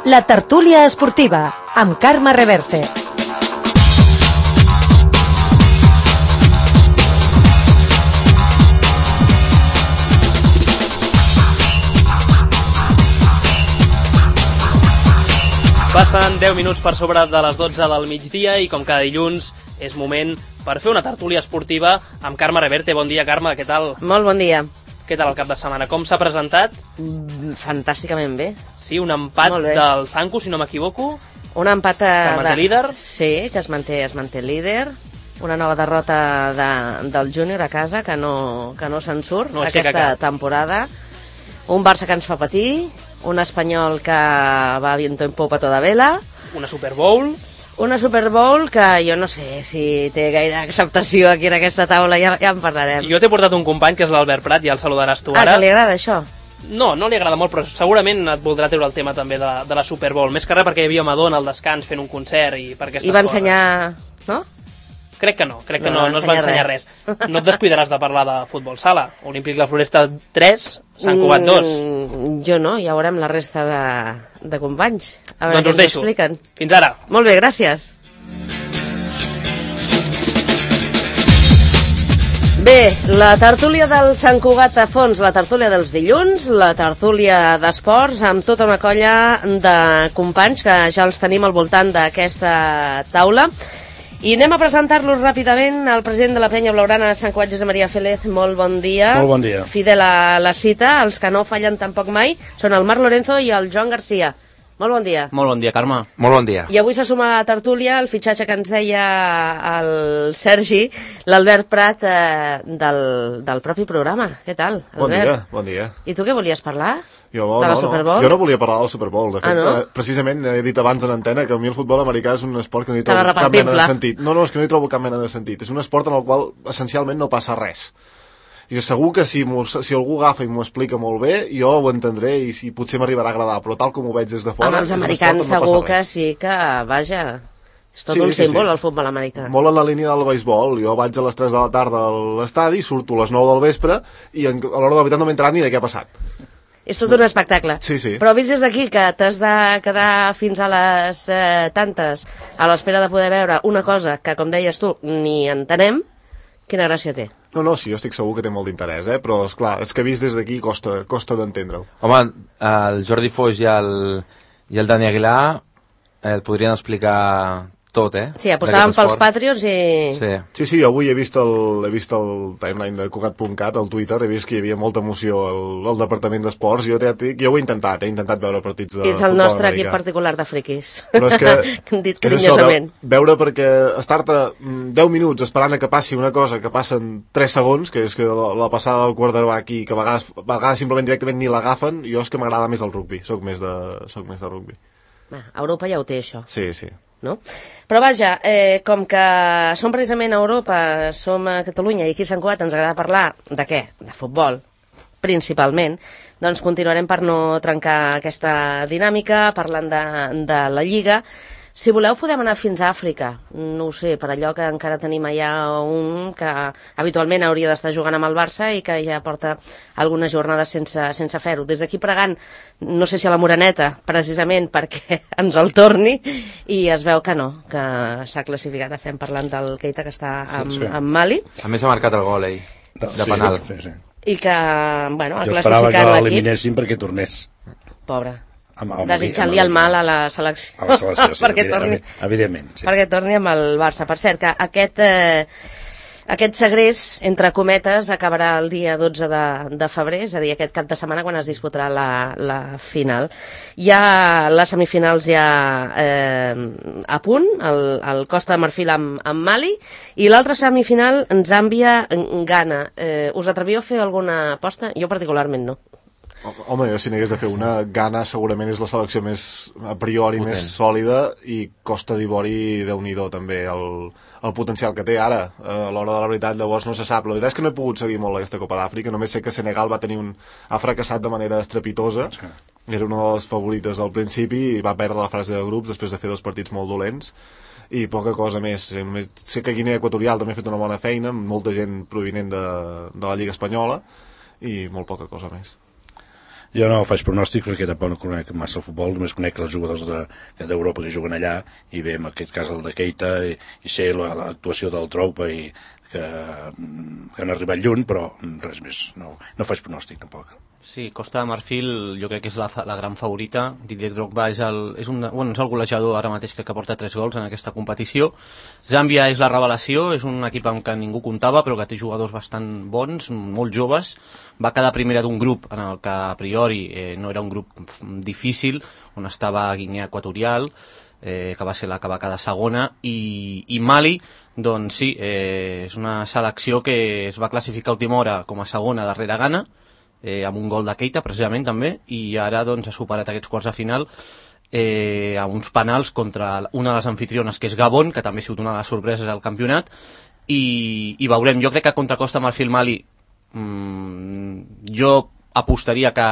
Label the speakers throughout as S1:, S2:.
S1: La tertúlia esportiva, amb Carme Reverte.
S2: Passen 10 minuts per sobre de les 12 del migdia i com cada dilluns és moment per fer una tertúlia esportiva amb Carme Reverte. Bon dia, Carme, què tal?
S3: Molt bon dia.
S2: Què tal el cap de setmana? Com s'ha presentat?
S3: Fantàsticament bé.
S2: Sí, un empat del Sanku, si no m'equivoco.
S3: Un empat
S2: que manté líder.
S3: Sí, que es manté líder. Una nova derrota del Júnior a casa, que no se'n surt aquesta temporada. Un Barça que ens fa patir. Un Espanyol que va viento en popa toda vela.
S2: Una Super Bowl.
S3: Una Super Bowl que jo no sé si té gaire acceptació aquí en aquesta taula, ja en parlarem.
S2: Jo t'he portat un company que és l'Albert Prat, ja el saludaràs tu ara.
S3: Ah, que li agrada això?
S2: No li agrada molt, però segurament et voldrà treure el tema també de la Super Bowl. Més que res perquè hi havia Madonna al descans fent un concert i per aquestes coses.
S3: I va ensenyar... no?
S2: Crec que no es va ensenyar res. No et descuidaràs de parlar de futbol sala. Olímpic La Floresta 3, Sant Cugat 2.
S3: Jo no, ja veurem la resta de companys. A veure,
S2: doncs us deixo.
S3: Expliquen.
S2: Fins ara.
S3: Molt bé, gràcies. Bé, la tertúlia del Sant Cugat a fons, la tertúlia dels dilluns, la tertúlia d'esports, amb tota una colla de companys que ja els tenim al voltant d'aquesta taula. I anem a presentar-los ràpidament al president de la penya blaugrana Sant Cugat, Josep Maria Félez. Molt bon dia.
S4: Molt bon dia.
S3: Fidel a la cita, els que no fallen tampoc mai són el Marc Lorenzo i el Joan Garcia. Molt bon dia.
S5: Molt bon dia, Carme.
S4: Molt bon dia.
S3: I avui se suma a la tertúlia el fitxatge que ens deia el Sergi, l'Albert Prat del propi programa. Què tal, Albert?
S6: Bon dia.
S3: I tu què volies parlar?
S6: De
S3: la Super Bowl?
S6: Jo no volia parlar de la Super Bowl. De fet,
S3: no?
S6: Precisament he dit abans en antena que a mi el futbol americà és un esport que no hi trobo cap mena de sentit. No, és que no hi trobo cap mena de sentit. És un esport en el qual essencialment no passa res. I segur que si algú agafa i m'ho explica molt bé, jo ho entendré i potser m'arribarà a agradar, però tal com ho veig des de fora...
S3: Amb els americans segur que sí que, vaja, és tot un símbol el futbol americà.
S6: Molt en la línia del beisbol. Jo vaig a les 3 de la tarda a l'estadi, surto a les 9 del vespre i a l'hora de la veritat no m'he enterat ni de què ha passat.
S3: És tot un espectacle.
S6: Sí.
S3: Però vist des d'aquí que t'has de quedar fins a les tantes a l'espera de poder veure una cosa que, com deies tu, ni entenem, quina gràcia té?
S6: No, sí, jo estic segur que té molt d'interès, però esclar, és que vist des d'aquí costa d'entendre-ho.
S7: Home, el Jordi Foix i el Dani Aguilar el podrien explicar tot,
S3: Sí, apostàvem pels Patriots i...
S6: Sí, avui he vist el timeline de Cugat.cat, al Twitter, he vist que hi havia molta emoció al Departament d'Esports, jo ho he intentat veure partits de futbol americà.
S3: És el nostre equip particular de friquis.
S6: Però és que...
S3: hem dit carinyosament.
S6: Veure perquè estar-te 10 minuts esperant a que passi una cosa que passen 3 segons, que és que la passada del quarterback i que a vegades simplement directament ni l'agafen, jo és que m'agrada més el rugbi, soc més de rugbi.
S3: Europa ja ho té, això.
S6: Sí.
S3: No? Però vaja, com que som precisament a Europa, som a Catalunya i aquí a Sant Cugat ens agrada parlar de què? De futbol, principalment, doncs continuarem per no trencar aquesta dinàmica parlant de la Lliga. Si voleu podem anar fins a Àfrica, no ho sé, per allò que encara tenim allà un que habitualment hauria d'estar jugant amb el Barça i que ja porta algunes jornades sense fer-ho. Des d'aquí pregant, no sé si a la Moreneta, precisament perquè ens el torni, i es veu que no, que s'ha classificat. Estem parlant del Keita que està amb Mali.
S7: A més ha marcat el gol, de penal.
S4: Sí.
S3: I que, bueno, ha
S4: classificat l'equip. Jo
S3: esperava
S4: que l'eliminessin perquè tornés.
S3: Pobre. Desitjant-li el mal a la selecció.
S4: A la selecció, sí,
S3: perquè torni,
S4: evidentment. Sí.
S3: Perquè torni amb el Barça. Per cert, que aquest segrest, entre cometes, acabarà el dia 12 de febrer, és a dir, aquest cap de setmana quan es disputarà la final. Hi ha les semifinals ja a punt, el Costa de Marfil amb Mali, i l'altra semifinal, Zàmbia-Ghana. Us atrevíeu a fer alguna aposta? Jo particularment no.
S6: Home, jo si n'hagués de fer una, Ghana segurament és la selecció més, a priori, potent, més sòlida, i Costa d'Ivori, Déu-n'hi-do també, el potencial que té ara. A l'hora de la veritat, llavors no se sap. La veritat és que no he pogut seguir molt aquesta Copa d'Àfrica, només sé que Senegal ha fracassat de manera estrepitosa, era una de les favorites al principi, i va perdre la fase de grups després de fer 2 partits molt dolents, i poca cosa més. Sé que Guinea Equatorial també ha fet una bona feina, amb molta gent provinent de la Lliga Espanyola, i molt poca cosa més.
S4: Jo no faig pronòstic perquè tampoc no conec massa el futbol, només conec els jugadors d'Europa que juguen allà, i bé, en aquest cas el de Keita, i sé l'actuació del Drogba, i que han arribat lluny, però res més, no faig pronòstic tampoc.
S5: Sí, Costa de Marfil jo crec que és la gran favorita. Didier Drogba és el golejador ara mateix, crec que porta 3 gols en aquesta competició. Zàmbia és la revelació, és un equip amb què ningú comptava, però que té jugadors bastant bons, molt joves. Va quedar primera d'un grup en el que a priori no era un grup difícil, on estava Guinea Equatorial, que va ser la que va quedar segona, i Mali, doncs sí, és una selecció que es va classificar a última hora com a segona darrere Ghana, amb un gol de Keita precisament també, i ara doncs ha superat aquests quarts de final a uns penals contra una de les anfitriones, que és Gabon, que també ha sigut una de les sorpreses del campionat, i veurem. Jo crec que contra Costa Marfil Mali jo apostaria que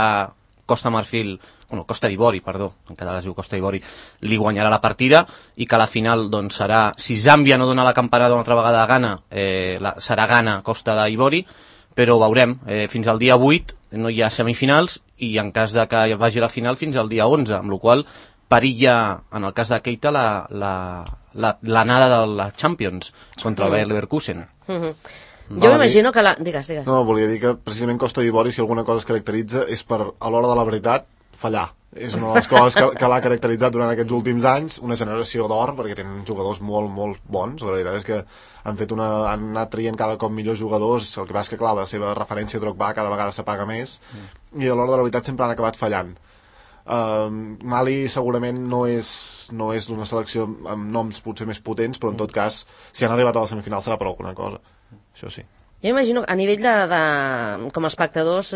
S5: Costa d'Ivori, perdó, en català es diu Costa d'Ivori, li guanyarà la partida, i que a la final doncs serà, si Zàmbia no dona la campanada una altra vegada a Ghana, serà Ghana Costa d'Ivori, però veurem, fins al dia 8 no hi ha semifinals, i en cas de que vagi a la final fins al dia 11, amb la qual perilla, en el cas de Keita, l'anada de la Champions contra el Bayer Leverkusen.
S3: Jo m'imagino que Digues.
S6: No, volia dir que precisament Costa d'Ivori, si alguna cosa es caracteritza, és per, a l'hora de la veritat, fallar. És una de les coses que l'ha caracteritzat durant aquests últims anys, una generació d'or, perquè tenen jugadors molt, molt bons. La veritat és que han anat traient cada cop millors jugadors. El que passa és que, clar, la seva referència a Drogba cada vegada s'apaga més, i a l'hora de la veritat sempre han acabat fallant. Mali segurament no és d'una selecció amb noms potser més potents, però en tot cas, si han arribat a la semifinal serà per alguna cosa. Això sí.
S3: Jo imagino que a nivell com a espectadors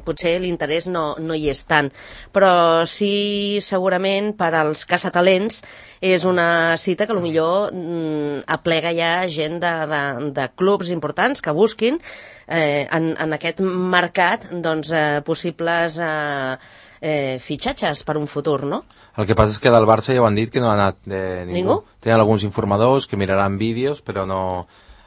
S3: potser l'interès no hi és tant, però sí segurament per als caçatalents és una cita que potser aplega ja gent de clubs importants que busquin en aquest mercat doncs, possibles fitxatges per un futur, no?
S7: El que passa és que del Barça ja ho han dit que no ha anat ningú. Tenen alguns informadors que miraran vídeos, però no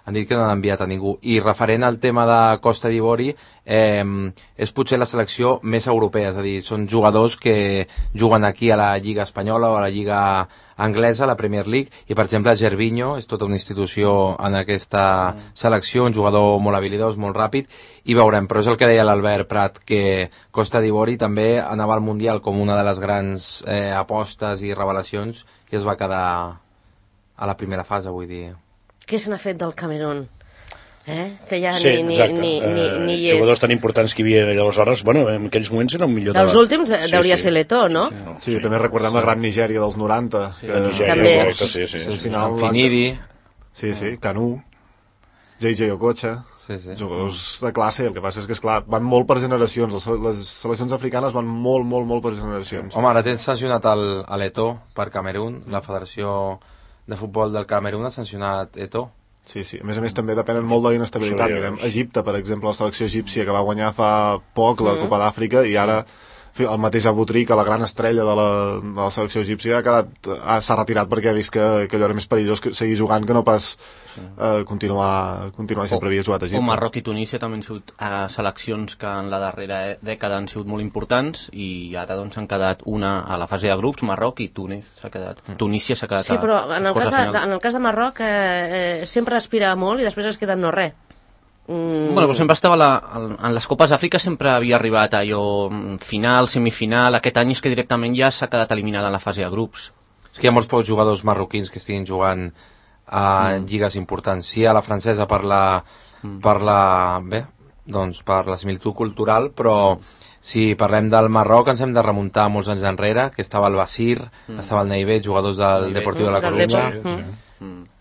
S7: han dit que no han enviat a ningú. I referent al tema de Costa d'Ivori, és potser la selecció més europea, és a dir, són jugadors que juguen aquí a la Lliga Espanyola o a la Lliga Anglesa, a la Premier League, i per exemple Gervinho és tota una institució en aquesta selecció, un jugador molt habilidós, molt ràpid, i veurem, però és el que deia l'Albert Prat, que Costa d'Ivori també anava al Mundial com una de les grans apostes i revelacions, i es va quedar a la primera fase, vull dir.
S3: Què se n'ha fet del Camerún? Que ja
S4: sí,
S3: ni hi és.
S4: Jugadors tan importants que hi havia aleshores, bueno, en aquells moments era un millor
S3: dels últims hauria ser l'Eto, no?
S6: Sí, també recordem la gran Nigèria dels 90.
S3: També.
S7: Finidi.
S6: Sí, Canú, JJ Okocha, jugadors de classe. El que passa és que, esclar, van molt per generacions. Les seleccions africanes van molt per generacions.
S7: Home, ara tens sancionat l'Eto per Camerún. La Federació de Futbol del Camerún ha sancionat Eto.
S6: Sí. A més també depenen molt de l'inestabilitat. Mirem Egipte, per exemple, la selecció egípcia que va guanyar fa poc la Copa d'Àfrica, i ara el mateix Aboutry, que la gran estrella de la selecció egípcia, s'ha retirat perquè ha vist que allò era més perillós seguir jugant que no pas continuar sempre havia jugat a Egipte.
S5: O Marroc i Tunísia també han sigut seleccions que en la darrera dècada han sigut molt importants, i ara doncs han quedat una a la fase de grups, Marroc, i Túnez s'ha quedat. Tunísia s'ha quedat.
S3: Sí, però en el cas de Marroc sempre aspira molt i després es queda en no res.
S5: Bueno, però sempre estava en les Copes d'Àfrica, sempre havia arribat a allò final, semifinal. Aquest any és que directament ja s'ha quedat eliminada en la fase de grups.
S7: És que hi ha molts pocs jugadors marroquins que estiguin jugant a lligues importants. Sí, a la francesa per la similitud cultural, però si parlem del Marroc ens hem de remuntar molts anys enrere, que estava el Basir, estava el Neivet, jugadors del Deportiu de la Corunya.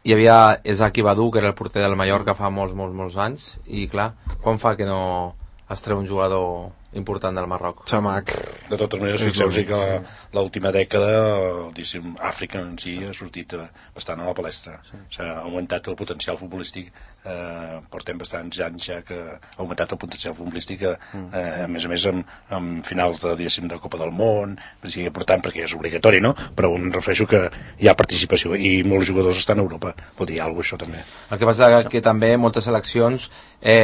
S7: Hi havia Ezaki Badou, que era el porter del Mallorca fa molts anys, i clar, quan fa que no es treu un jugador important del Marroc?
S6: Xamac.
S4: De totes maneres, fixeu-vos que l'última dècada, Àfrica en si ha sortit bastant a la palestra. S'ha augmentat el potencial futbolístic, portem bastants anys ja que ha augmentat el potencial futbolístic, a més amb finals de Copa del Món, per tant, perquè és obligatori, no? Però em refereixo que hi ha participació i molts jugadors estan a Europa, vol dir alguna cosa, això també.
S7: El que passa és que també moltes seleccions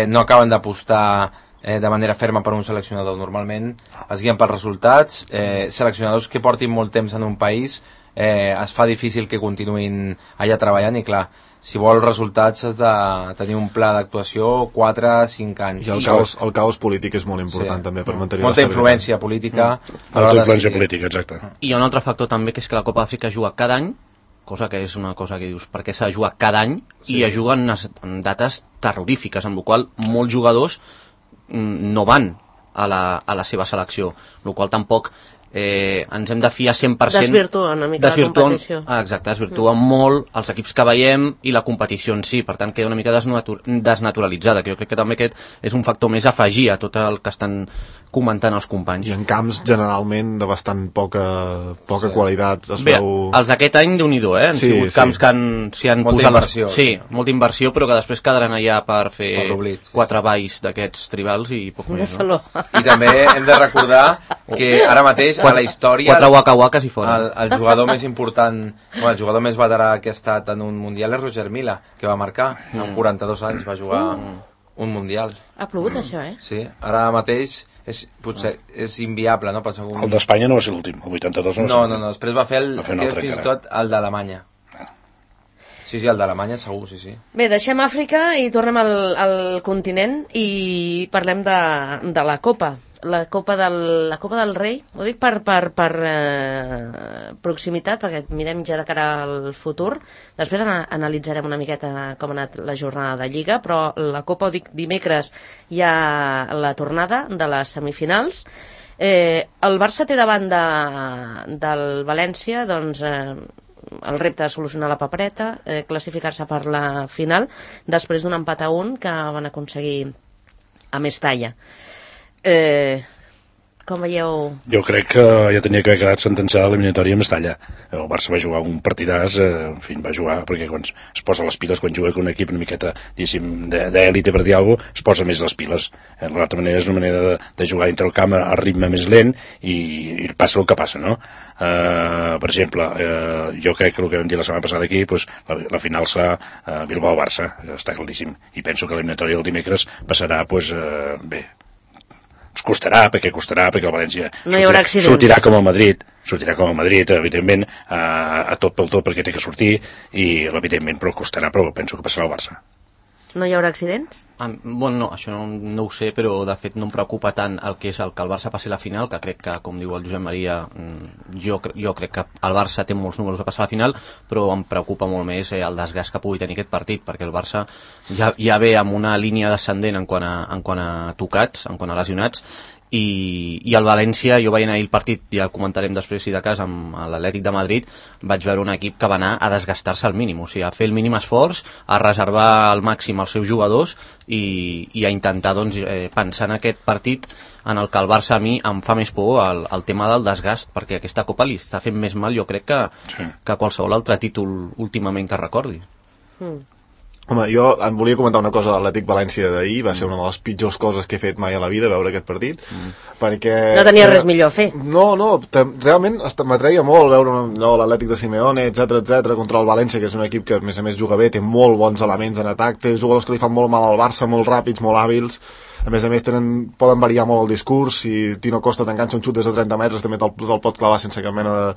S7: no acaben d'apostar de manera ferma per un seleccionador. Normalment es guien pels resultats. Seleccionadors que portin molt temps en un país es fa difícil que continuïn allà treballant, i clar, si vols resultats has de tenir un pla d'actuació 4-5 anys.
S6: I el caos polític és molt important, també, per mantenir
S7: molta influència política.
S4: Molta influència política, exacte.
S5: I hi ha un altre factor també, que és que la Copa d'Àfrica es juga cada any, cosa que és una cosa que dius, perquè s'ha de jugar cada any, i es juguen en dates terrorífiques, amb la qual cosa molts jugadors no van a la seva selecció, amb la qual cosa tampoc ens hem de fiar 100%...
S3: Desvirtua una mica la competició.
S5: Exacte, desvirtua molt els equips que veiem i la competició en si, per tant queda una mica desnaturalitzada, que jo crec que també aquest és un factor més a afegir a tot el que estan comentant els companys.
S6: I en camps generalment de bastant poca qualitat es veu...
S5: Els d'aquest any déu-n'hi-do, han sigut camps que s'hi han
S7: molta
S5: posat...
S7: Inversió,
S5: molta inversió, però que després quedaran allà per fer 4 valls d'aquests tribals i poc més.
S3: No?
S7: I també hem de recordar que ara mateix a la història
S5: 4 waka-wakas i fora.
S7: El jugador més important, el jugador més veterà que ha estat en un mundial és Roger Milla, que va marcar, amb 42 anys va jugar un mundial.
S3: Ha plogut això,
S7: Sí, ara mateix potser és inviable, no?
S4: El d'Espanya no va ser l'últim, el 82
S7: no. No, després va fer fins i tot el d'Alemanya. Sí, el d'Alemanya segur, sí.
S3: Bé, deixem Àfrica i tornem al continent i parlem de la Copa. La Copa del Rei, ho dic per proximitat, perquè mirem ja de cara al futur. Després analitzarem una miqueta com ha anat la jornada de Lliga, però la Copa, ho dic, dimecres hi ha la tornada de les semifinals. El Barça té davant del València, doncs... el repte de solucionar la papereta, classificar-se per la final, després d'un empat a 1 que van aconseguir a Mestalla. Com veieu?
S4: Jo crec que ja tenia que haver quedat sentenciada l'eliminatòria a Mestalla. El Barça va jugar un partidàs, en fi, va jugar, perquè quan es posa les piles, quan juga amb un equip una miqueta, diguéssim, d'èlite, per dir alguna cosa, es posa més les piles. L'altra manera és una manera de jugar entre el camp a ritme més lent i passa el que passa, no? Per exemple, jo crec que el que vam dir la setmana passada aquí, doncs, la final serà Bilbao-Barça, està claríssim. I penso que l'eliminatòria del dimecres passarà, doncs, bé, costarà, perquè el València sortirà com el Madrid, evidentment, a tot pel tot perquè té que sortir, i evidentment, però costarà, però penso que passarà el Barça.
S3: No hi haurà accidents?
S5: Bueno, no, això no ho sé, però de fet no em preocupa tant el que el Barça passi a la final, que crec que, com diu el Josep Maria, jo crec que el Barça té molts números de passar a la final, però em preocupa molt més el desgast que pugui tenir aquest partit, perquè el Barça ja ve amb una línia descendent en quant a tocats, en quant a lesionats, i el València, jo veient ahir el partit, ja el comentarem després si de cas, amb l'Atlètic de Madrid, vaig veure un equip que va anar a desgastar-se al mínim, o sigui, a fer el mínim esforç, a reservar al màxim els seus jugadors i a intentar, doncs, pensar en aquest partit en el que el Barça a mi em fa més por el tema del desgast, perquè aquesta Copa li està fent més mal, jo crec, que qualsevol altre títol últimament que recordi.
S6: Home, jo em volia comentar una cosa de l'Atlètic València d'ahir, va ser una de les pitjors coses que he fet mai a la vida, veure aquest partit, perquè...
S3: No tenia res millor a fer.
S6: No, realment m'atreia molt veure l'Atlètic de Simeone, etc contra el València, que és un equip que a més juga bé, té molt bons elements en atac, té jugadors que li fan molt mal al Barça, molt ràpids, molt hàbils, a més poden variar molt el discurs, si Tino Costa t'enganxa un xut des de 30 metres també te'l pot clavar sense cap mena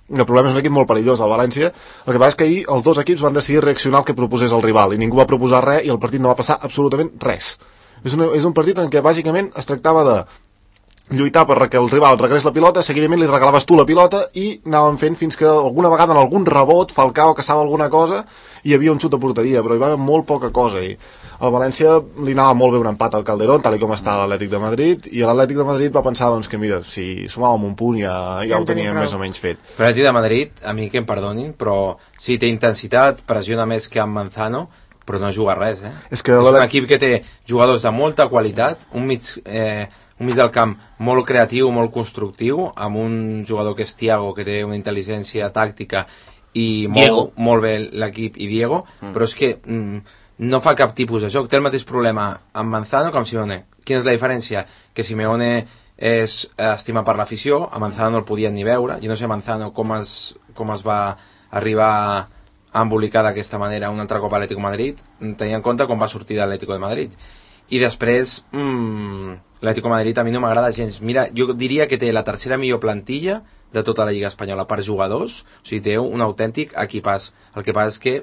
S6: de problema. És un equip molt perillós, el València. El que passa és que ahir els dos equips van decidir reaccionar al que proposés el rival i ningú va proposar res i el partit no va passar absolutament res. És un partit en què bàsicament es tractava de lluitar perquè el rival regalés la pilota, seguidament li regalaves tu la pilota i anàvem fent fins que alguna vegada en algun rebot Falcao caçava alguna cosa i hi havia un xut de porteria, però hi va haver molt poca cosa i al València li anava molt bé un empat al Calderón, tal com està l'Atlètic de Madrid, i l'Atlètic de Madrid va pensar doncs, que mira, si sumàvem un punt ja ho teníem més o menys fet.
S7: L'Atlètic de Madrid, a mi que em perdonin, però sí, té intensitat, pressiona més que amb Manzano, però no juga res, És un equip que té jugadors de molta qualitat, un mig del camp molt creatiu, molt constructiu, amb un jugador que és Thiago, que té una intel·ligència tàctica i molt bé l'equip, i Diego, però és que no fa cap tipus de joc. Té el mateix problema amb Manzano que amb Simeone. Quina és la diferència? Que Simeone és estimat per l'afició, a Manzano no el podien ni veure. Jo no sé Manzano com es va arribar a embolicar d'aquesta manera un altre cop a Atlético de Madrid, tenint en compte com va sortir de l'Atlético de Madrid. I després, l'Atlético de Madrid a mi no m'agrada gens. Mira, jo diria que té la tercera millor plantilla de tota la Lliga Espanyola per jugadors, o sigui, té un autèntic equipàs. El que passa és que,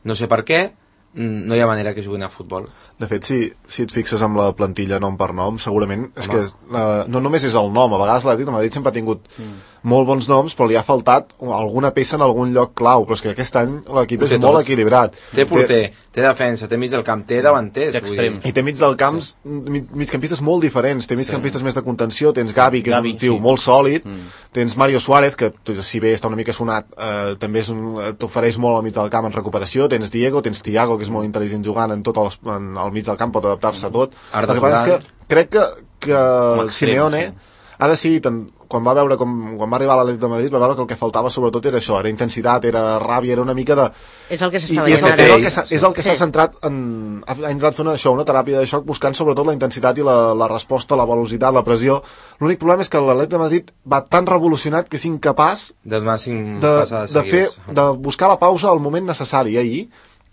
S7: no sé per què, no hi ha manera que juguin a futbol.
S6: De fet, si et fixes amb la plantilla nom per nom, segurament és que no només és el nom, a vegades l'Atlètic de Madrid sempre ha tingut molt bons noms, però li ha faltat alguna peça en algun lloc clau, però és que aquest any l'equip és molt equilibrat.
S7: Té porter, té defensa, té mig del camp, té davanters,
S5: extrems.
S6: I té mig del camp migcampistes molt diferents, té migcampistes més de contenció, tens Gavi, que és un tio molt sòlid, tens Mario Suárez, que si bé està una mica sonat, també t'ofereix molt al mig del camp en recuperació, tens Diego, tens Thiago, que és molt intel·ligent jugant al mig del camp, pot adaptar-se a tot. El que passa és que crec que Simeone ha decidit, quan va arribar a l'Atlètic de Madrid, va veure que el que faltava sobretot era això, era intensitat, era ràbia, era una mica de...
S3: És el que s'està veient ara.
S6: És el que s'ha centrat ha intentat fer una teràpia de xoc buscant sobretot la intensitat i la resposta, la velocitat, la pressió. L'únic problema és que l'Atlètic de Madrid va tan revolucionat que és incapaç de buscar la pausa al moment necessari. Ahir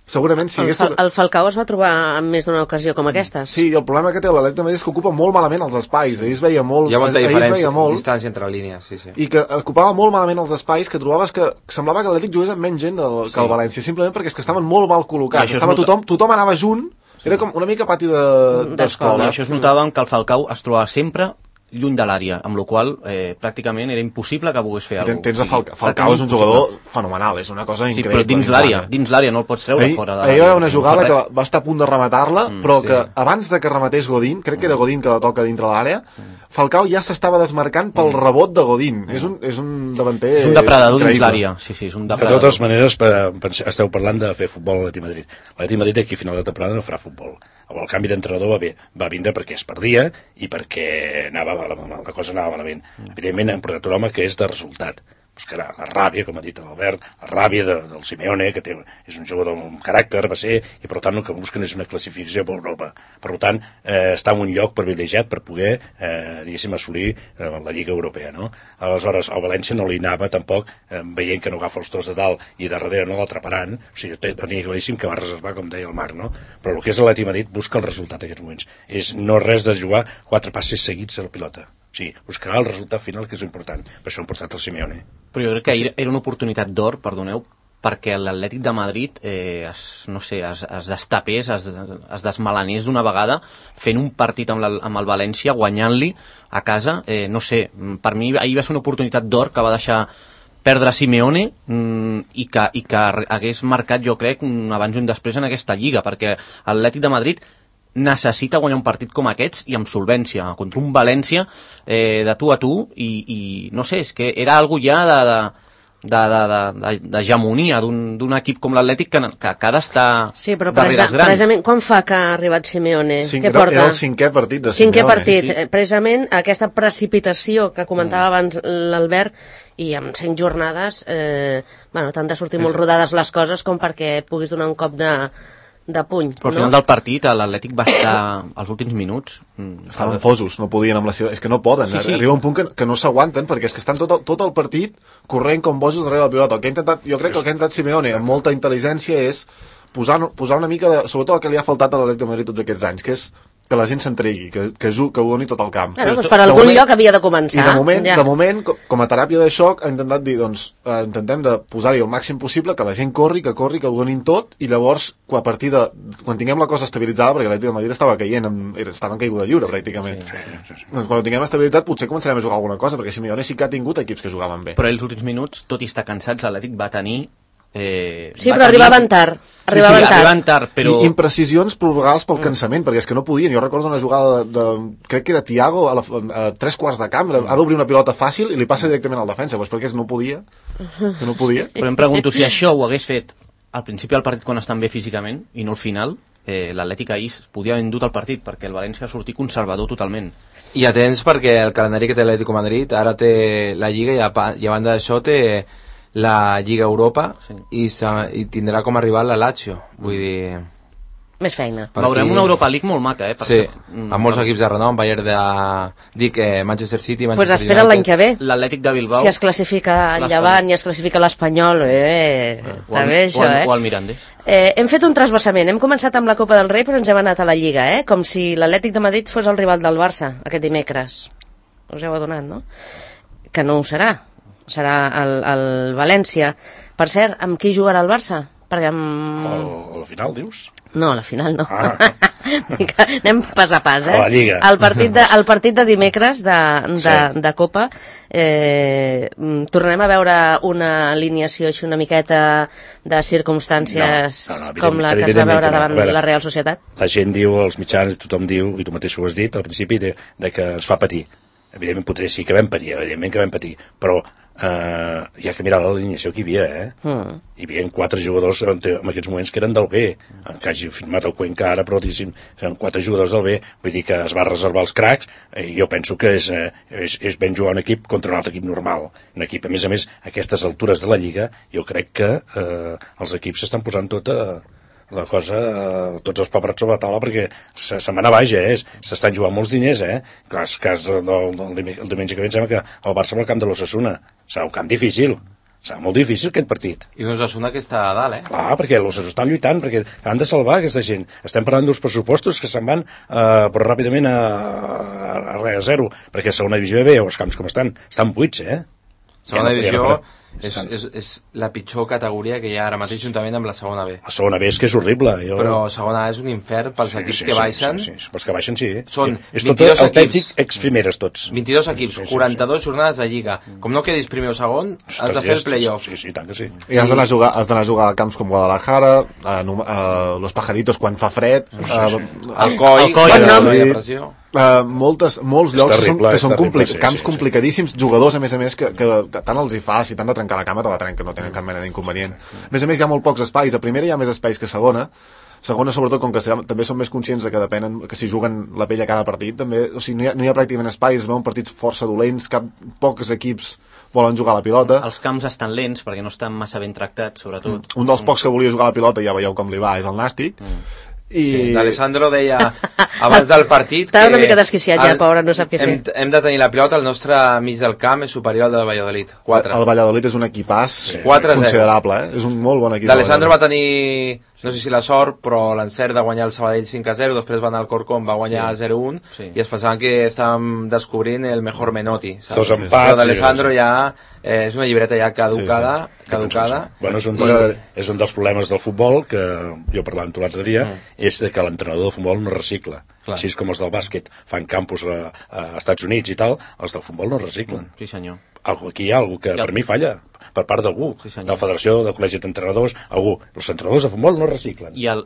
S6: segurament si
S3: el Falcao es va trobar en més d'una ocasió com aquestes.
S6: Sí, el problema que té l'Atlètic de Madrid és que ocupa molt malament els espais. Ahir es veia molt,
S7: hi ha molta diferència, distància entre línies, sí.
S6: I que ocupava molt malament els espais, que trobaves que semblava que l'Atlètic jugués amb menys gent que el València, simplement perquè és que estaven molt mal col·locats. Tothom anava junt, era com una mica pati d'escola.
S5: Això es notava que el Falcao es trobava sempre lluny de l'àrea, amb la qual pràcticament era impossible que pogués fer alguna cosa.
S6: Tens Falcao és un jugador fenomenal, és una cosa increïble.
S5: Però dins l'àrea no el pots treure fora de l'àrea.
S6: Ahir va haver una jugada que va estar a punt de rematar-la, però que abans de que rematés Godín, crec que era Godín que la toca dintre l'àrea, Falcao ja s'estava desmarcant pel rebot de Godín. És un davanter
S5: és un depredador dins l'àrea. Sí, és un depredador.
S4: De totes maneres, esteu parlant de fer futbol a l'Atlètic de Madrid. L'Atlètic de Madrid aquí a final de temporada no farà futbol. El canvi d'entrenador va vindre perquè es perdia i perquè la cosa anava malament. Evidentment han portat un home que és de resultat. Buscarà la ràbia, com ha dit l'Albert, la ràbia del Simeone, que és un jugador amb caràcter, va ser, i per tant el que busquen és una classificació per Europa. Per tant, està en un lloc privilegiat per poder, diguéssim, assolir la Lliga Europea, no? Aleshores, al València no li anava tampoc, veient que no agafa els dos de dalt i de darrere no l'atraparan, o sigui, tenia claríssim que va reservar, com deia el Marc, no? Però el que és l'Atlètic de Madrid busca el resultat en aquests moments. No res de jugar 4 passes seguits a la pilota. Sí, buscarà el resultat final, que és important. Per això han portat el Simeone.
S5: Però jo crec que era una oportunitat d'or, perdoneu, perquè l'Atlètic de Madrid es destapés, es desmelanés d'una vegada, fent un partit amb el València, guanyant-li a casa. No sé, per mi ahir va ser una oportunitat d'or que va deixar perdre Simeone i que hagués marcat, jo crec, un abans i un després en aquesta lliga, perquè l'Atlètic de Madrid necessita guanyar un partit com aquests i amb solvència, contra un València de tu a tu i no sé, és que era algo ja d'hegemonia d'un equip com l'Atlètic que ha d'estar darrere els grans.
S3: Precisament, quan fa que ha arribat Simeone?
S6: Què porta? Era el 5è partit de Simeone.
S3: 5è partit, sí. Precisament aquesta precipitació que comentava abans l'Albert, i amb 5 jornades t'han de sortir molt rodades les coses com perquè puguis donar un cop de puny.
S5: Però al final del partit l'Atlètic va estar als últims minuts
S6: estaven fosos, no podien amb la seva... és que no poden, arriba un punt que no s'aguanten perquè és que estan tot el partit corrent com bojos darrere la pilota. Jo crec que el que ha intentat Simeone amb molta intel·ligència és posar una mica de... sobretot el que li ha faltat a l'Atlètic de Madrid tots aquests anys, que és que la gent s'entregui, que ho doni tot el camp.
S3: Doncs per algun lloc havia de començar.
S6: I de moment, com a teràpia de xoc, ha intentat dir, intentem de posar-hi el màxim possible, que la gent corri, que ho donin tot, i llavors, quan tinguem la cosa estabilitzada, perquè l'Atlètic de Madrid estava caient, estava en caiguda lliure, pràcticament. Doncs quan ho tinguem estabilitzat, potser començarem a jugar alguna cosa, perquè Simeone sí que ha tingut equips que jugaven bé.
S5: Però els últims minuts, tot i estar cansats, l'Atlètic va tenir
S3: però arribaven tard.
S5: Però...
S6: I imprecisions provocades pel cansament, perquè és que no podien. Jo recordo una jugada crec que era Thiago a 3 quarts de camp, ha d'obrir una pilota fàcil i li passa directament al defensa, doncs perquè no podia.
S5: Però em pregunto si això ho hagués fet al principi del partit quan estan bé físicament i no al final, l'Atlètic ahir es podia haver endut el partit perquè el València va sortir conservador totalment.
S7: I atents perquè el calendari que té l'Atlético de Madrid ara té la Lliga i a banda d'això té la Lliga Europa i tindrà com a rival la Lazio, vull dir...
S3: més feina.
S5: Veurem una Europa League molt maca,
S7: Sí, amb molts equips de renom, Bayern Manchester City, Manchester
S3: Pues espera l'any que ve.
S5: L'Atlètic de Bilbao.
S3: Si es classifica el Llevant i es classifica l'Espanyol, també això,
S5: O el Mirandés.
S3: Hem fet un trasbassament. Hem començat amb la Copa del Rei, però ens hem anat a la Lliga, com si l'Atlètic de Madrid fos el rival del Barça, aquest dimecres. Us heu adonat, no? Que no ho serà. Serà el València. Per cert, amb qui jugarà el Barça? Perquè
S4: A la final, dius?
S3: No, a la final no. Anem pas a pas,
S4: A la Lliga.
S3: El partit de dimecres de Copa, tornem a veure una alineació així una miqueta de circumstàncies com la que es va veure davant la Real Societat?
S4: La gent diu, els mitjans, tothom diu, i tu mateix ho has dit al principi, de que ens fa patir. Evidentment potser sí que vam patir, però hi ha que mirar l'alineació que hi havia, Hi havia 4 jugadors en aquests moments que eren del B, que hagi firmat el Cuenca ara, però diguéssim, eren 4 jugadors del B, vull dir que es va reservar els cracs, i jo penso que és ben jugar un equip contra un altre equip normal. Un equip, a més, a aquestes altures de la Lliga, jo crec que els equips s'estan posant la cosa, tots els paperats sobre la taula, perquè se'n van a baix, s'estan jugant molts diners, cas el diumenge que ve em sembla que el Barça va al camp de l'Osasuna, serà un camp difícil, serà molt difícil aquest partit.
S7: I l'Osasuna que està a dalt,
S4: Clar, perquè l'Osasuna estan lluitant, perquè han de salvar aquesta gent. Estem parlant dels pressupostos que se'n van però ràpidament a zero, perquè a segona divisió B, els camps com estan buits,
S7: Segona divisió és la pitjor categoria que hi ha ara mateix juntament amb la segona B.
S4: La segona B és que és horrible.
S7: Però segona A és un infern pels equips que baixen.
S4: Sí, pels que baixen sí.
S7: Són
S4: és
S7: 22
S4: tot
S7: equips.
S4: Ex-primeres tots.
S7: 22 equips, 42 jornades de Lliga. Com no quedis primer o segon, has de fer el play-off.
S4: Sí, tant que sí.
S6: I has d'anar a jugar a camps com Guadalajara, Los Pajaritos quan fa fred,
S7: Alcoi,
S6: molts llocs que són camps complicadíssims, jugadors a més que tant els hi fa, si t'han de trencar la cama te la trenquen, no tenen cap mena d'inconvenient. A més hi ha molt pocs espais, a primera hi ha més espais que a segona, sobretot com que també són més conscients de que depenen, que si juguen la pell a cada partit també, o sigui, no hi ha pràcticament espais, es veuen partits força dolents, pocs equips volen jugar a la pilota.
S5: Els camps estan lents perquè no estan massa ben tractats, sobretot.
S6: Un dels pocs que volia jugar a la pilota, ja veieu com li va, és el Nàstic.
S7: I D'Alessandro deia abans del partit
S3: estava una mica desquiciat ja, pobre, no sap què fer.
S7: Hem de tenir la pilota, el nostre mig del camp és superior al de Valladolid, 4.
S6: El Valladolid és un equipàs considerable, és un molt bon equip.
S7: D'Alessandro va tenir, no sé si la sort, però l'encert de guanyar el Sabadell 5-0, després va anar al Corcón, va guanyar 0-1, i es pensaven que estàvem descobrint el mejor Menotti.
S4: Dos empats.
S7: Però d'Alessandro ja és una llibreta ja caducada.
S4: Bueno, és un dels problemes del futbol, que jo parlava amb tu l'altre dia, és que l'entrenador de futbol no recicla. Així com els del bàsquet fan campus a Estats Units i tal, els del futbol no reciclen.
S5: Sí, senyor.
S4: Aquí hi ha algú que per mi falla, per part d'algú, de la federació, del col·legi d'entrenadors, algú. Els entrenadors de futbol no reciclen.
S5: I el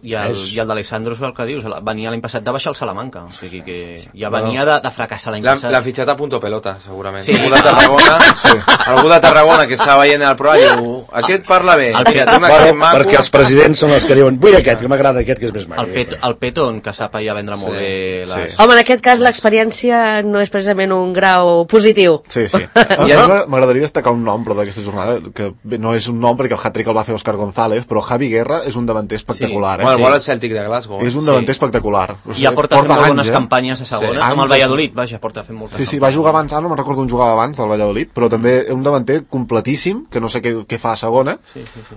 S5: d'Alessandro és el que dius, venia l'any passat de baixar el Salamanca, o sigui que ja venia de fracassar l'any passat.
S7: L'ha fitxat a punto pelota, segurament. Sí. Algú de Tarragona que estava veient el programa i diu, aquest parla bé.
S4: Perquè els presidents són els que diuen, vull aquest, que m'agrada aquest, que és més maco.
S5: El Peton, que sap ja vendre molt bé les...
S3: Home, en aquest cas l'experiència no és precisament un grau positiu.
S6: Sí. M'agradaria destacar un nom, però d'aquesta jornada, que no és un nom perquè el hat-trick el va fer Òscar González, però Javi Guerra és un davanter espectacular.
S7: Bueno, vol el Celtic de Glasgow.
S6: És un davanter espectacular.
S5: Ja porta fent molt bones campanyes a segona, amb el Valladolid, vaja, porta fent moltes campanyes.
S6: Sí, va jugar abans, no me'n recordo on jugava abans del Valladolid, però també un davanter completíssim, que no sé què fa a segona,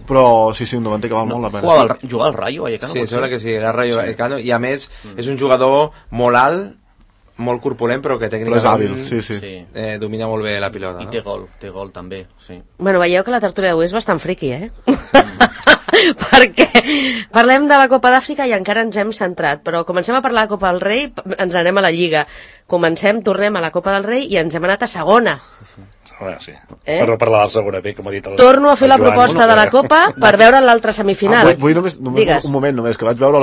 S6: però sí, un davanter que val molt la pena.
S5: Jugava al Rayo Vallecano?
S7: Sí, sembla que sí, era Rayo Vallecano, i a més és un jugador molt alt, molt corpulent, però que tècnicament domina molt bé la pilota.
S5: I té gol també, sí.
S3: Bueno, veieu que la tertúlia d'avui és bastant friqui, perquè parlem de la Copa d'Àfrica i encara ens hem centrat, però comencem a parlar de la Copa del Rei, ens anem a la Lliga. Tornem a la Copa del Rei i ens hem anat a segona.
S4: Sí. Per parlar de la segona B, com ha dit el
S3: Torno a fer la proposta de la Copa per veure l'altra semifinal.
S6: Vull només un moment només, que vaig veure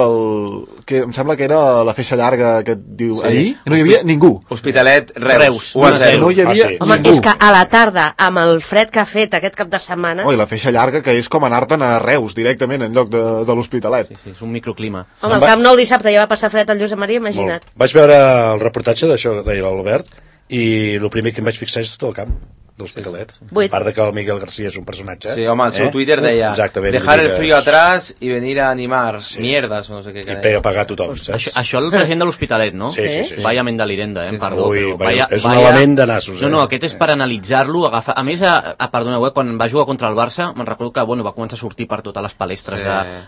S6: que em sembla que era la feixa llarga que diu ahir, no hi havia ningú.
S7: Hospitalet, Reus,
S6: 1-0. No hi havia ningú.
S3: Home, és que a la tarda, amb el fred que ha fet aquest cap de setmana...
S6: I la feixa llarga, que és com anar-te'n a Reus directament en lloc de l'Hospitalet.
S5: Sí, és un microclima.
S3: Home, el Camp Nou dissabte ja va passar fred al Josep Maria, imagina't.
S4: Vaig veure el reportatge d'això, deia l'Albert, i el primer que em vaig fixar és tot el camp. de l'Hospitalet.
S3: Vuit.
S4: A part de que el Miguel García és un personatge.
S7: Sí, home, el seu Twitter deia
S4: Exactament,
S7: dejar el
S4: digues-
S7: frío atrás y venir a animar mierdas, o no sé què.
S4: I pega a pagar tothom, saps?
S5: Això el president de l'Hospitalet, no?
S4: Sí, sí, sí.
S5: Vaya Mendalirenda, perdó.
S4: Ui,
S5: però
S4: vaya, és un element de nassos.
S5: No, aquest és per analitzar-lo, agafar... A més, perdoneu, quan va jugar contra el Barça, me'n recordo que va començar a sortir per totes les palestres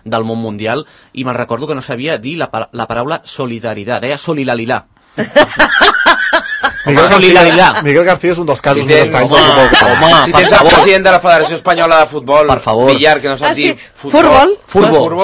S5: del món mundial, i me'n recordo que no sabia dir la paraula solidaritat, deia solilalilà.
S6: Miguel García és un dels casos més estranys.
S7: Si tens el president de la Federació Espanyola de Futbol,
S5: per favor,
S7: Villar, que no sap dir
S3: Futbol.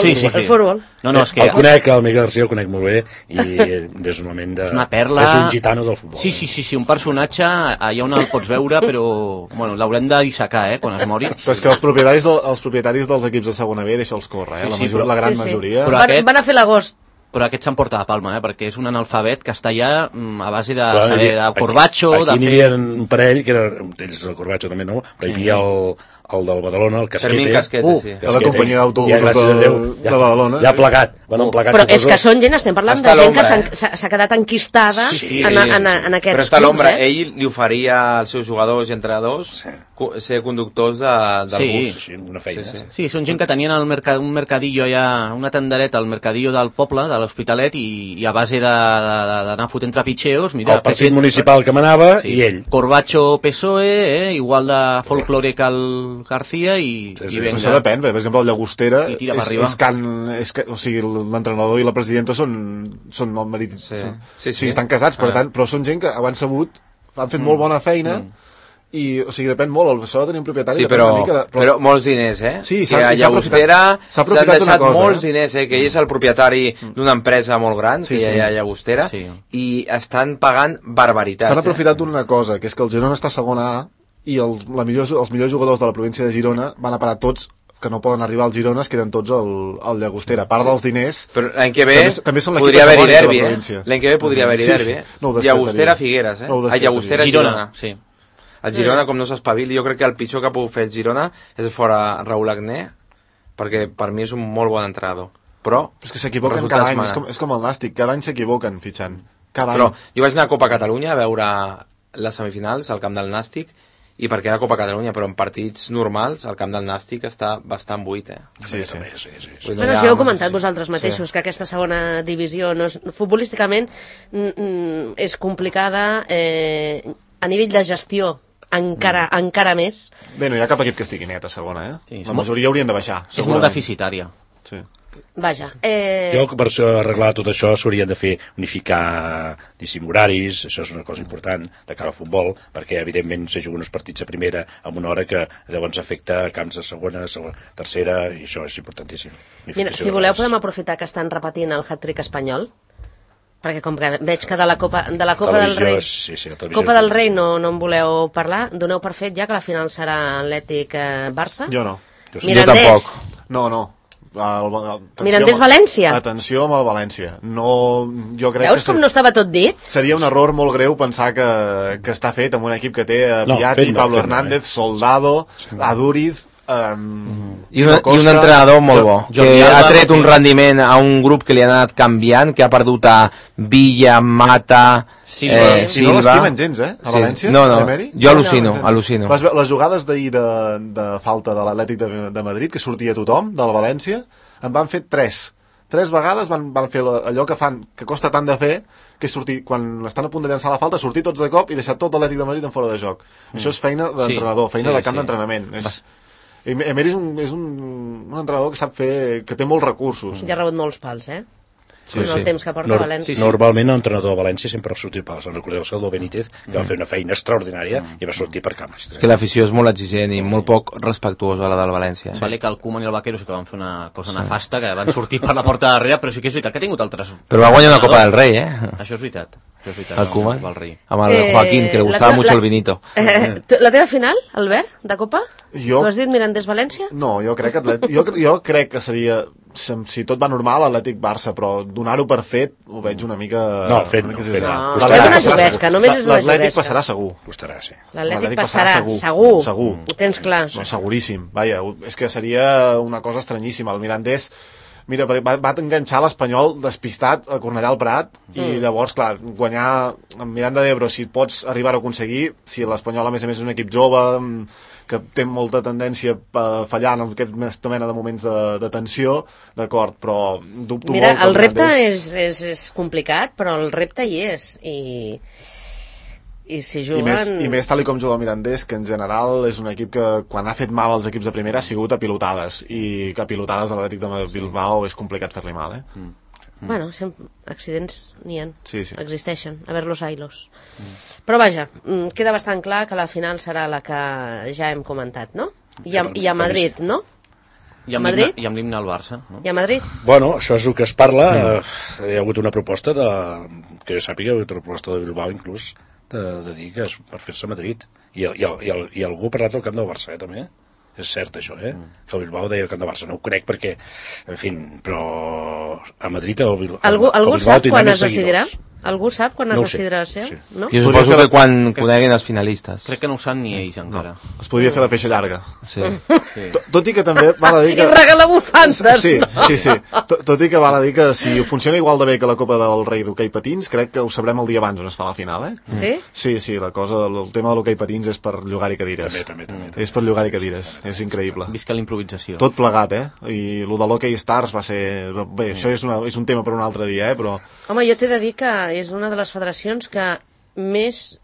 S5: Sí.
S3: Futbol.
S5: No, és que...
S4: El conec, el Miguel García el conec molt bé, i és un moment de...
S5: És una perla...
S4: És un gitano del futbol.
S5: Sí, un personatge, allà on el pots veure, però bueno, l'haurem de dissecar, quan es mori.
S6: Però és que els propietaris dels equips de segona B deixa'ls córrer, la gran majoria.
S3: Van a fer l'agost.
S5: Però aquest s'emporta la palma, perquè és un analfabet que està allà a base de saber de Corbacho, de fer...
S4: Aquí n'hi havia un parell, que era, ells el Corbacho també no, però hi havia el del Badalona, el Casquete.
S7: Fermín Casquete, sí.
S6: De la companyia d'autobusos de Badalona.
S4: Ja ha plegat,
S3: Però és que són gent, estem parlant de gent que s'ha quedat enquistada en aquests
S7: però està a l'ombra,
S3: clubs,
S7: ell li oferia als seus jugadors i entrenadors ser conductors del bus.
S4: Sí, una feina.
S5: Sí, són gent que tenien un mercadillo allà, una tendereta al mercadillo del poble, de l'Hospitalet, i a base d'anar fotent trapitxeos, mira...
S4: El partit municipal que manava i ell.
S5: Corbacho PSOE, igual de folclore que el García, i venga.
S6: Això depèn, per exemple, el Llagostera o sigui, l'entrenador i la presidenta són el marit, estan casats, per tant, però són gent que han sabut, han fet molt bona feina, i, o sigui, depèn molt, això de tenir un propietari...
S7: Sí, però molts diners,
S6: Sí,
S7: que a Llagostera s'han deixat molts diners, que ell és el propietari d'una empresa molt gran, que hi ha a Llagostera, i estan pagant barbaritats.
S6: S'han aprofitat d'una cosa, que és que el Girona està a segona A, i els millors jugadors de la província de Girona van a parar tots, que no poden arribar al Girona, es queden tots al Llagostera. A part dels diners...
S7: Però l'any que ve
S6: també són
S7: podria haver-hi derbi, L'any que ve podria haver-hi derbi, Llagostera-Figueres, Llagostera-Girona.
S5: Sí.
S7: El Girona, com no s'espavili, jo crec que el pitjor que ha pogut fer el Girona és fora Raúl Agné, perquè per mi és un molt bon entrenador. Però
S6: és que s'equivoquen cada any, és com el Nàstic, cada any s'equivoquen fitxant.
S7: Però jo vaig anar a Copa Catalunya a veure les semifinals al camp del Nàstic, i perquè era Copa Catalunya, però en partits normals el camp del Nàstic està bastant buit,
S6: Sí.
S3: Però si heu comentat vosaltres mateixos que aquesta segona divisió futbolísticament és complicada a nivell de gestió encara més.
S6: Bé, no hi ha cap equip que estigui net a segona, la majoria haurien de baixar.
S5: És molt deficitària.
S6: Sí.
S3: Vaja.
S4: Jo, per arreglar tot això, s'haurien de fer unificar horaris, això és una cosa important de cara al futbol, perquè evidentment se juguen uns partits a primera amb una hora que llavors afecta camps de segona, tercera, i això és importantíssim.
S3: Mira, si voleu podem aprofitar que estan repetint el hat-trick espanyol, perquè com que veig que de la Copa del Rei Copa del Rei no en voleu parlar, doneu per fet ja que la final serà Atlètic-Barça?
S6: Jo no.
S3: Mirandés?
S6: No.
S3: Mirandés-València?
S6: Atenció amb el València. Jo crec
S3: veus com no estava tot dit?
S6: Seria un error molt greu pensar que està fet amb un equip que té Piatti, Pablo Hernández, Soldado, Aduriz,
S7: i un entrenador molt bo, que ha tret un rendiment a un grup que li ha anat canviant, que ha perdut a Villa, Mata,
S6: Silva. No l'estimen gens, a València?
S7: No, jo al·lucino.
S6: Les jugades d'ahir de falta de l'Atlètic de Madrid, que sortia tothom, del València, en van fer 3 vegades, van fer allò que fan, que costa tant de fer, que és sortir, quan estan a punt de llançar la falta, sortir tots de cop i deixar tot l'Atlètic de Madrid en fora de joc. Això és feina d'entrenador, feina de camp d'entrenament. Emery és un entrenador que sap fer, que té molts recursos.
S3: Ja ha rebut molts pals, el temps que porta a València.
S4: Normalment l'entrenador de València sempre ha sortit pals. Recordeu Salvador Benítez, que va fer una feina extraordinària i va sortir per cames.
S7: És que l'afició és molt exigent i molt poc respectuosa a la del València.
S5: Vale que el Koeman i el Vaquero sí que van fer una cosa nefasta, que van sortir per la porta de darrere, però sí que és veritat que ha tingut altres...
S7: Però va guanyar una Copa del Rei,
S5: Això és veritat.
S7: El Koeman, amb el Joaquín, que le gustava mucho el vinito.
S3: La teva final, Albert, de Copa? Tu has dit Mirandés-València?
S6: No, jo crec que seria, si tot va normal, Atlètic-Barça, però donar-ho per fet ho veig una mica...
S4: No, fet no.
S3: Una juguesca, només és una juguesca.
S6: L'Atlètic passarà segur.
S3: L'Atlètic passarà segur. Ho tens clar.
S6: No, seguríssim. Vaja, és que seria una cosa estranyíssima. El Mirandés Mira, va enganxar l'Espanyol despistat a Cornellà al Prat i llavors, clar, guanyar amb Miranda d'Ebro, si pots arribar a aconseguir, si l'Espanyol a més és un equip jove que té molta tendència a fallar en aquesta mena de moments de tensió, d'acord, però dubto
S3: Mira,
S6: molt...
S3: el repte és complicat, però el repte hi és, i si juguen...
S6: I més tal com juga el Mirandés, que en general és un equip que quan ha fet mal als equips de primera ha sigut a pilotades, i que a pilotades a l'Atlètic de Bilbao és complicat fer-li mal,
S3: Bueno, accidents n'hi ha,
S6: sí.
S3: Existeixen, a ver los ailos. Però vaja, queda bastant clar que la final serà la que ja hem comentat, no? I a Madrid, no?
S5: I amb l'himne al Barça, no?
S3: I a Madrid?
S4: Bueno, això és el que es parla. Hi ha hagut una proposta que jo sàpiga, una proposta de Bilbao inclús, de dir que és per fer-se a Madrid. I algú ha parlat del camp del Barça, també. És cert, això, que el Bilbao deia el camp del Barça. No ho crec perquè, en fi, però a Madrid el Bilbao
S3: sap
S4: tindrà
S3: quan
S4: més
S3: es decidirà?
S4: seguidors.
S3: Algú sap quan es decidirà ser?
S4: Sí.
S3: No?
S7: Jo suposo que quan coneguin els finalistes.
S5: Crec que no ho saben ni ells encara.
S6: Es podria fer la feixa llarga.
S7: Sí.
S6: Tot i que també val a dir que...
S3: I regala bufandes!
S6: Sí. Tot i que val a dir que si funciona igual de bé que la Copa del Rei d'hoquei patins, crec que ho sabrem el dia abans on es fa la final,
S3: Sí?
S6: Sí, el tema de l'hoquei patins és per llogar-hi cadires.
S4: També.
S6: És per llogar-hi cadires, és increïble.
S5: Visca la improvisació.
S6: Tot plegat, I el de l'Hockey Stars va ser... Bé, això és un tema per un altre dia, però...
S3: Home, jo t'he de dir que és una de les federacions que més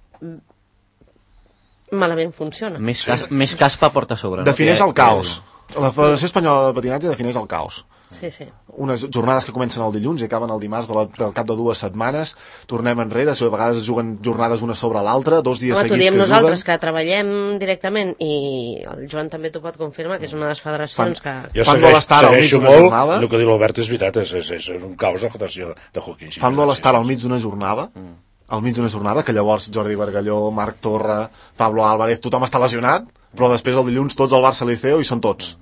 S3: malament funciona.
S5: Més caspa porta a sobre.
S6: Defineix el caos. La Federació Espanyola de Patinatge defineix el caos.
S3: Sí.
S6: Unes jornades que comencen el dilluns i acaben el dimarts del cap de 2 setmanes, tornem enrere, a vegades es juguen jornades una sobre l'altra, 2 dies seguits
S3: t'ho diem
S6: que
S3: nosaltres,
S6: juguen.
S3: que treballem directament, i el Joan també t'ho pot confirmar, que és una de les federacions que...
S4: Jo
S6: Fan molestar al mig
S4: segueixo
S6: d'una
S4: molt,
S6: jornada.
S4: el que diu l'Albert és veritat, és un caos la Federació de Hockey.
S6: Fan molestar al mig d'una jornada, que llavors Jordi Bargalló, Marc Torra, Pablo Álvarez, tothom està lesionat, però després el dilluns tots al Barça Liceo i són tots.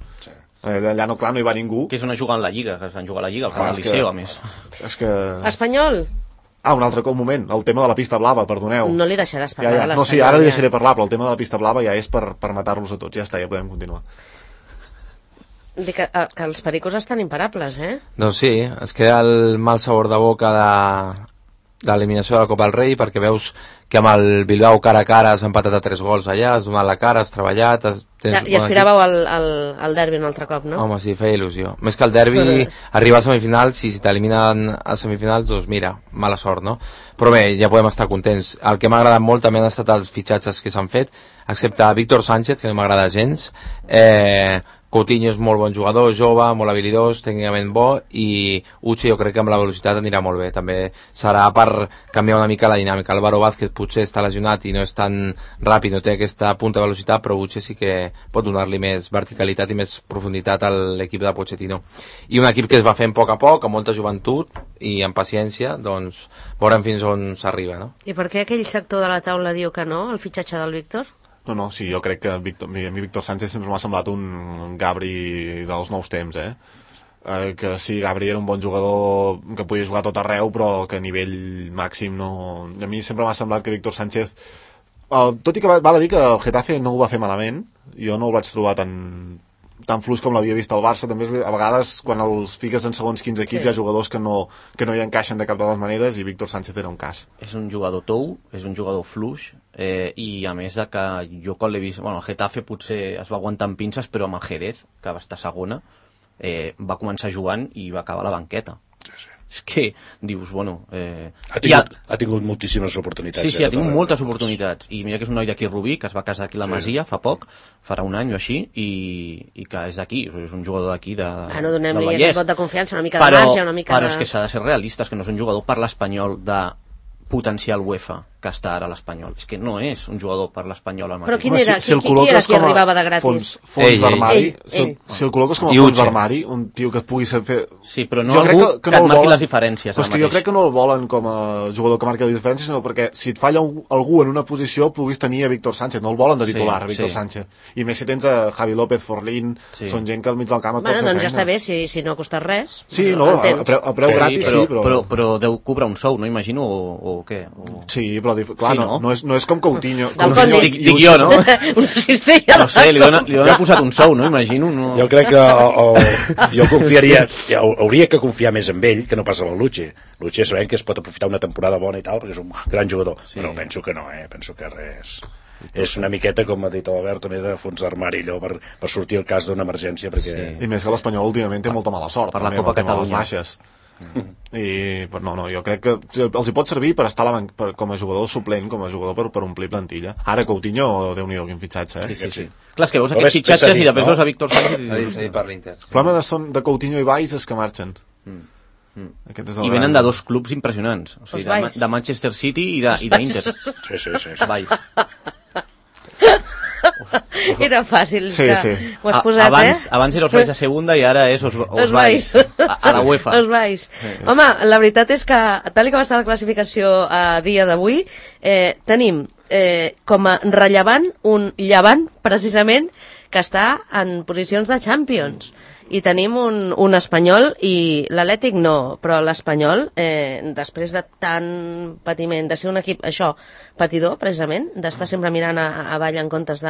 S6: Allà no hi va ningú.
S5: Que és on juguen la Lliga, que es van jugar a la Lliga, al camp del Liceo, a més.
S6: És que...
S3: Espanyol?
S6: Un altre moment, el tema de la pista blava, perdoneu.
S3: No li deixaràs parlar de l'Espanyol.
S6: No, sí, ara li deixaré parlar, però el tema de la pista blava ja és per matar-los a tots. Ja està, ja podem continuar.
S3: Dic que els pericos estan imparables,
S7: Doncs sí, es queda el mal sabor de boca de l'eliminació de la Copa del Rei, perquè veus que amb el Bilbao cara a cara has empatat a 3 gols allà, has donat la cara, has treballat...
S3: I aspiràveu al derbi un altre cop, no?
S7: Home, sí, feia il·lusió. Més que el derbi, arribar a semifinals, si t'eliminen a semifinals, doncs mira, mala sort, no? Però bé, ja podem estar contents. El que m'ha agradat molt també han estat els fitxatges que s'han fet, excepte Víctor Sánchez, que no m'agrada gens. Coutinho és molt bon jugador, jove, molt habilidós, tècnicament bo, i Uche jo crec que amb la velocitat anirà molt bé. També serà per canviar una mica la dinàmica. Álvaro Vázquez potser està lesionat i no és tan ràpid, no té aquesta punta de velocitat, però Uche sí que pot donar-li més verticalitat i més profunditat a l'equip de Pochettino. I un equip que es va fent a poc, amb molta joventut i amb paciència, doncs veurem fins on s'arriba, no?
S3: I per què aquell sector de la taula diu que no, el fitxatge del Víctor?
S6: No, sí, jo crec que a mi Víctor Sánchez sempre m'ha semblat un Gabri dels nous temps, que sí, Gabri era un bon jugador que podia jugar tot arreu, però que a nivell màxim no... A mi sempre m'ha semblat que Víctor Sánchez, tot i que val a dir que el Getafe no ho va fer malament, jo no el vaig trobar tan fluix com l'havia vist al Barça. També a vegades quan els fiques en segons quins equips hi ha jugadors que no hi encaixen de cap de les maneres, i Víctor Sánchez era un cas.
S5: És un jugador tou, és un jugador fluix, i a més de que jo quan l'he vist, el Getafe potser es va aguantar amb pinces, però amb el Jerez, que va estar segona, va començar jugant i va acabar a la banqueta.
S4: Sí.
S5: És que dius,
S4: ha tingut moltíssimes oportunitats.
S5: Sí, ha tingut moltes oportunitats, i mira que és un noi d'aquí Rubí, que es va casar aquí a la Masia fa poc, farà un any o així, i que és d'aquí, és un jugador d'aquí
S3: no donem-li aquest vot de confiança, una mica de marge, una mica
S5: però és que s'ha de ser realistes, que no és un jugador per l'Espanyol de potencial UEFA que està ara a l'Espanyol. És que no és un jugador per l'Espanyol al mateix.
S3: Però quin era? Qui era qui arribava de gratis?
S6: Fons d'armari. Si el col·loques com a fons d'armari, un tio que et pugui fer...
S5: Sí, però no algú que et marqui les diferències.
S6: Però és que jo crec que no el volen com a jugador que marqui les diferències, sinó perquè si et falla algú en una posició puguis tenir a Víctor Sánchez. No el volen de titular, Víctor Sánchez. I més si tens a Javi López, Forlín, són gent que al mig del camp et pot fer feina.
S3: Doncs ja està bé, si no costa res.
S6: Sí, no, a preu gratis sí,
S5: però deu cobrar un sou, no imagino, o què?
S6: Sí, però clar, no és com Coutinho.
S5: Dic jo, no?
S3: Una cistella.
S5: No sé, li dona posat un sou, no? Imagino.
S4: Jo crec que jo confiaria, hauria que confiar més en ell que no passa amb el Luche. Luche sabem que es pot aprofitar una temporada bona i tal, perquè és un gran jugador, però penso que no, penso que res. És una miqueta, com ha dit l'Albert, també de fons d'armari, allò, per sortir el cas d'una emergència, perquè...
S6: I més que l'Espanyol últimament té molta mala sort.
S5: Per la Copa Catalunya.
S6: No, jo crec que els hi pot servir per estar com a jugador suplent, com a jugador per omplir plantilla. Ara Coutinho, Déu-n'hi-do, quin fitxatge,
S5: Sí. Clar, és que veus aquests fitxatges i després veus a Víctor Sánchez
S7: i per l'Inter.
S6: El problema de Coutinho i Valls és que marxen.
S5: I venen de dos clubs impressionants, o sigui, de Manchester City i d'Inter.
S4: Sí.
S5: Valls.
S3: Era fàcil,
S6: sí.
S3: Ho has posat,
S5: abans era Osvalls a segunda i ara és Osvalls a la UEFA.
S3: Osvalls. Home, la veritat és que, tal com està la classificació a dia d'avui, tenim com a rellevant un Llevant, precisament, que està en posicions de Champions. I tenim un Espanyol i l'Atlètic no, però l'Espanyol, després de tant patiment, de ser un equip, patidor, precisament, d'estar sempre mirant avall en comptes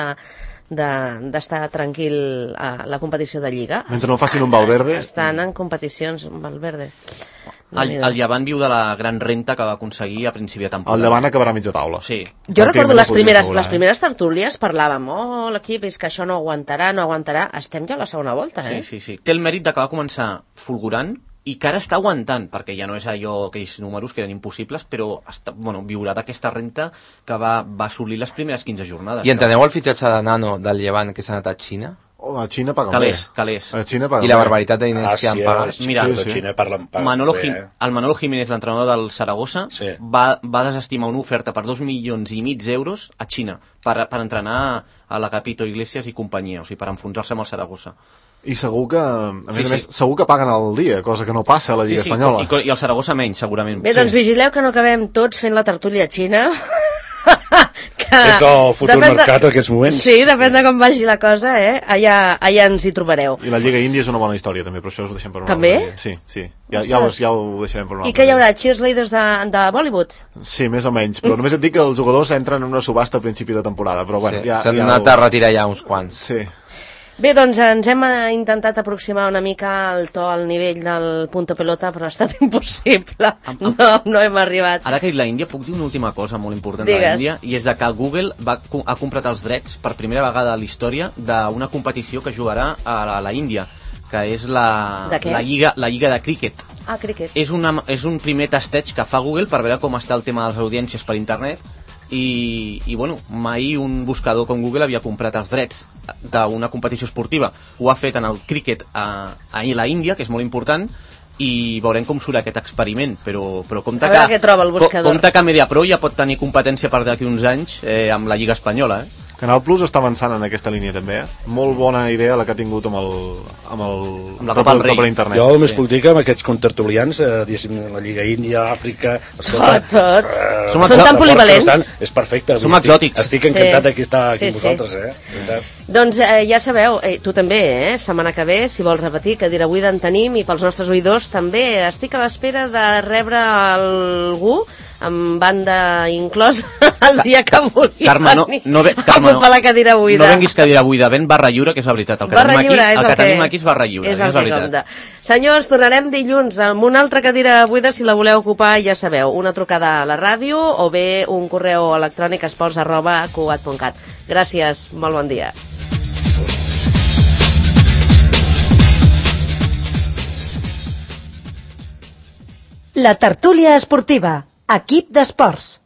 S3: d'estar tranquil a la competició de Lliga.
S6: Mentre no facin un Valverde.
S3: Estan en competicions, un Valverde.
S5: El Llevant viu de la gran renta que va aconseguir a principi de temporada.
S6: El Llevant acabarà a mitja taula.
S5: Sí.
S3: Jo recordo les primeres tertúlies, parlàvem, l'equip és que això no aguantarà, estem ja a la segona volta,
S5: Sí. Té el mèrit que va començar fulgurant i que ara està aguantant, perquè ja no és allò, aquells números que eren impossibles, però viurà d'aquesta renta que va assolir les primeres 15 jornades.
S7: I enteneu el fitxatge de Nano del Llevant que s'ha anat a Xina?
S6: A Xina paguen
S5: Calés.
S6: A Xina paguen
S7: I la barbaritat de diners que han pagat.
S5: Mira,
S4: Xina parlen
S5: el Manolo Jiménez, l'entrenador del Saragossa, va desestimar una oferta per 2,5 milions d'euros a Xina per entrenar a l'Agapito Iglesias i companyia, o sigui, per enfonsar-se amb el Saragossa.
S6: I segur que, a més, segur que paguen al dia, cosa que no passa a la Lliga Espanyola.
S5: I el Saragossa menys, segurament.
S3: Bé, doncs vigileu que no acabem tots fent la tertúlia a Xina.
S4: És el futur mercat en aquests moments.
S3: Sí, depèn de com vagi la cosa, allà ens hi trobareu.
S6: I la Lliga Índia és una bona història, també, però això ho deixem per una
S3: també?
S6: altra. Sí. Ja ho deixarem per una altra.
S3: I què hi haurà? Cheerleaders de Bollywood?
S6: Sí, més o menys, però només et dic que els jugadors entren en una subhasta a principi de temporada, però bueno,
S7: s'han anat a retirar ja uns quants.
S6: Sí.
S3: Bé, doncs ens hem intentat aproximar una mica al to, al nivell del punto pelota, però ha estat impossible. No hem arribat.
S5: Ara que he dit la Índia, puc dir una última cosa molt important de la Índia, i és que Google ha comprat els drets per primera vegada a la història d'una competició que jugarà a la Índia, que és la Lliga de Críquet.
S3: Ah, críquet.
S5: És un primer tasteig que fa Google per veure com està el tema de les audiències per internet. I mai un buscador com Google havia comprat els drets d'una competició esportiva. Ho ha fet en el críquet a la Índia, que és molt important, i veurem com surt aquest experiment, però compte que Mediapro ja pot tenir competència per d'aquí uns anys amb la Lliga Espanyola.
S6: Canal Plus està avançant en aquesta línia també, Molt bona idea la que ha tingut amb
S5: la Copa del Rei per
S6: internet.
S4: Jo només puc dir que amb aquests contertulians, la Lliga Índia, Àfrica...
S3: Tot.
S5: Són
S3: tan polivalents.
S4: És perfecte.
S5: Som exòtics.
S4: Estic encantat que està aquí amb vosaltres,
S3: Doncs ja sabeu, tu també, setmana que ve, si vols repetir, que dir avui d'en tenim, i pels nostres oïdors també. Estic a l'espera de rebre algú amb banda inclosa el dia que vulgui
S5: Carme, no
S3: la cadira buida.
S5: No venguis cadira buida, ven barra lliure, que és la veritat. El que tenim aquí és barra lliure, és la veritat.
S3: Senyors, tornarem dilluns amb una altra cadira buida, si la voleu ocupar, ja sabeu, una trucada a la ràdio o bé un correu electrònic esports@cugat.cat. Gràcies, molt bon dia.
S1: La tertúlia esportiva. Equip d'esports.